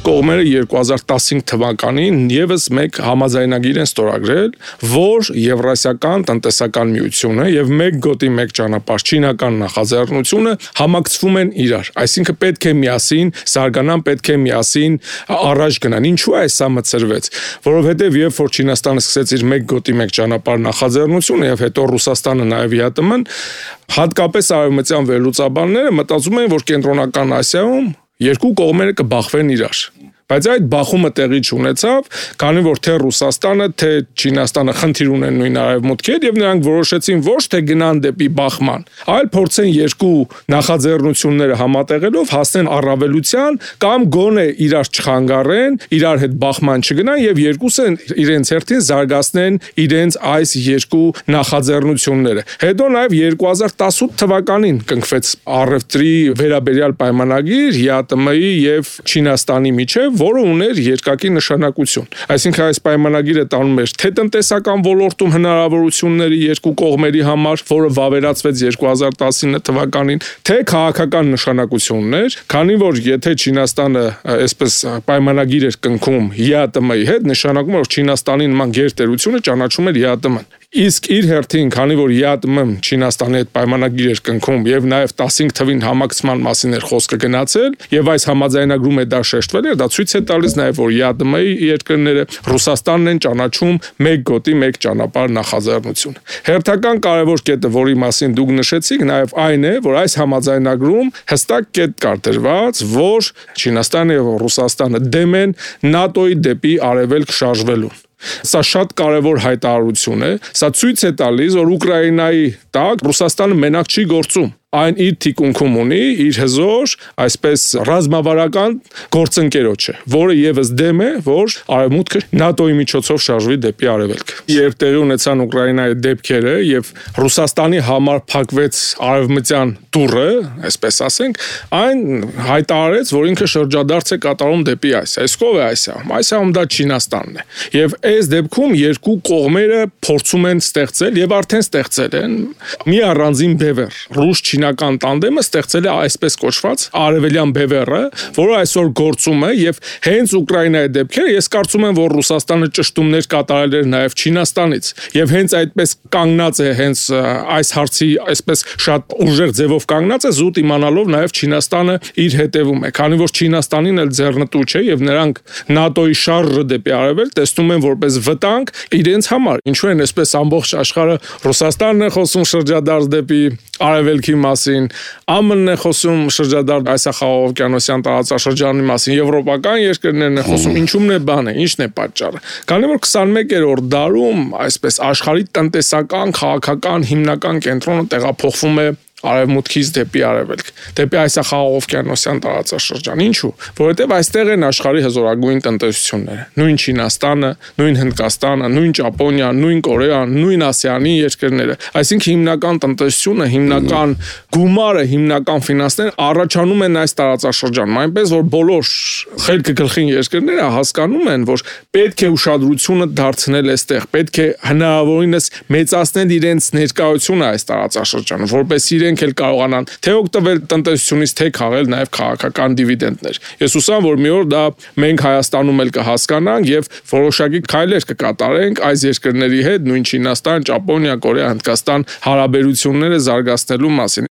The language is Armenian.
կողմերը 2015 թվականին եւս մեկ համաձայնագիր են ստորագրել, որ Եվրասիական տնտեսական միությունը եւ մեկ գոտի մեկ ճանապարհ չինական նախաձեռնությունը համակցվում են իրար, այսինքն պետք է միասին զարգանան, պետք է միասին առաջ գնան։ Ինչու է սա մտցրվեց, որովհետեւ երբ որ Չինաստանը սկսեց իր մեկ գոտի մեկ ճանապարհ նախաձեռնությունը եւ հետո Ռուսաստանը նաեւ ՀԱՏՄ-ն, հատկապես արևմտյան վերլուծաբանները մտածում են, որ Կենտրոնական Ասիայում երկու կողմերը կբախվեն իրար։ Բայց այդ բախումը տեղի չունեցավ, քանի որ թե Ռուսաստանը, թե Չինաստանը խնդիր ունեն նույն արևմուտքի հետ եւ նրանք որոշեցին ոչ թե գնան դեպի բախման, այլ փորձեն երկու նախաձեռնությունները համատեղելով հասնեն առավելության կամ գոնե իրար չխանգարեն, իրար հետ բախման չգնան եւ երկուսը իրենց հերթին զարգացնեն իրենց այս երկու նախաձեռնությունները։ Հետո նաեւ 2018 թվականին կնքվեց առևտրի վերաբերյալ պայմանագիր ՀԱՏՄ-ի եւ Չինաստանի միջեւ, որը ուներ երկակի նշանակություն։ Այսինքն այս պայմանագիրը տանում էր թե տնտեսական ոլորտում հնարավորությունների երկու կողմերի համար, որը վավերացվեց 2019 թվականին, թե քաղաքական նշանակություններ, քանի որ եթե Չինաստանը այսպես պայմանագիր էր կնքում ՀԱՏՄ-ի հետ, նշանակում էր, որ Չինաստանի նման գերտերությունը ճանաչում էր ՀԱՏՄ-ն։ Իսկ իր հերթին, քանի որ ՀԱՏՄ-ն Չինաստանի հետ պայմանագիր էր կնքում եւ նաեւ 15 թվին համակցման մասին էր խոսքը գնացել եւ այս համաձայնագրում է դա շեշտվել էր, դա ցույց է տալիս նաեւ, որ ՀԱՏՄ-ի երկրները Ռուսաստանն են ճանաչում մեկ գոտի մեկ ճանապարհ նախաձեռնությունը։ Հերթական կարևոր կետը, որի մասին դուք նշեցիք, նաեւ այն է, որ այս համաձայնագրում հստակ կետ կար դրված, որ Չինաստանը եւ Ռուսաստանը դեմ են ՆԱՏՕ-ի դեպի արևելք շարժվելուն։ Սա շատ կարևոր հայտարարություն է, սա ցույց է տալիս, որ Ուկրաինայի տակ Ռուսաստանը մենակ չի գործում։ Այն իր թիկունքում ունի իր հզոր, այսպես ռազմավարական գործընկերոջ է, որը եւս դեմ է, որ արևմուտքը ՆԱՏՕ-ի միջոցով շարժվի դեպի արևելք։ Երբ տեղի ունեցան Ուկրաինայի դեպքերը եւ Ռուսաստանի համար փակվեց արևմտյան դուռը, այսպես ասենք, այն հայտարարեց, որ ինքը շրջադարձ է կատարում դեպի Ասիա։ Իսկ ով է Ասիայում։ Ասիայում դա Չինաստանն է։ Եվ այս դեպքում երկու կողմերը փորձում են ստեղծել եւ արդեն ստեղծել են մի առանձին բևեռ ռուս-չինական տանդեմը ստեղծել է այսպես կոչված արևելյան բևեռը, որը այսօր գործում է եւ հենց Ուկրաինայի դեպքերը ես կարծում եմ, որ Ռուսաստանը ճշտումներ կատարել էր նաեւ Չինաստանից եւ հենց այդպես կանգնած է հենց այս հարցի այսպես շատ ուժեղ ձևով կանգնած է զուտ իմանալով նաեւ Չինաստանը իր հետևում է, քանի որ Չինաստանին էլ ձեռնտու չէ եւ նրանք ՆԱՏՕ-ի շարժը դեպի արևելք տեսնում են որպես վտանգ իրենց համար։ Ինչու են այսպես ամբողջ աշխարհը Ռուսաստանն է խոսում շրջադարձ դեպի արևելքի մասին, ԱՄՆ-ն է խոսում շրջադարձ Ասիա-Խաղաղօվկիանոսյան տարածաշրջանի մասին, եվրոպական երկրներն են խոսում, ինչու՞մն է բանը, ի՞նչն է պատճառը։ Քանի որ 21-րդ դարում այսպես աշխարհի տնտեսական, քաղաքական հիմնական կենտրոնը տեղափոխվում է արևմուտքից դեպի արևելք, դեպի Ասիա-Խաղաղօվկիանոսյան տարածաշրջան։ Ինչու՞։ Որովհետև այստեղ են աշխարհի հզորագույն տնտեսությունները։ Նույն Չինաստանը, նույն Հնդկաստանը, նույն Ճապոնիան, նույն Կորեան, նույն ASEAN-ի երկրները։ Այսինքն հիմնական տնտեսությունը, հիմնական գումարը, հիմնական ֆինանսները առաջանում են այս տարածաշրջանում, այնպես որ բոլոր խելքը գլխին երկրները հասկանում են, որ պետք է ուշադրությունը դարձնել այստեղ, պետք է հնարավորինս մեծացնել իրենց ներկայությունը այս տարածաշրջանում, որպես իրենք էլ կարողանան թե օգտվել տնտեսությունից, թե քաղել նաև քաղաքական դիվիդենդներ։ Ես հուսամ, որ մի օր դա մենք Հայաստանում էլ կհասկանանք եւ որոշակի քայլեր կկատարենք այս երկրների հետ, նույն Չինաստան, Ճապոնիա, Կորեա, Հնդկաստան հարաբերությունները զարգացնելու մասին։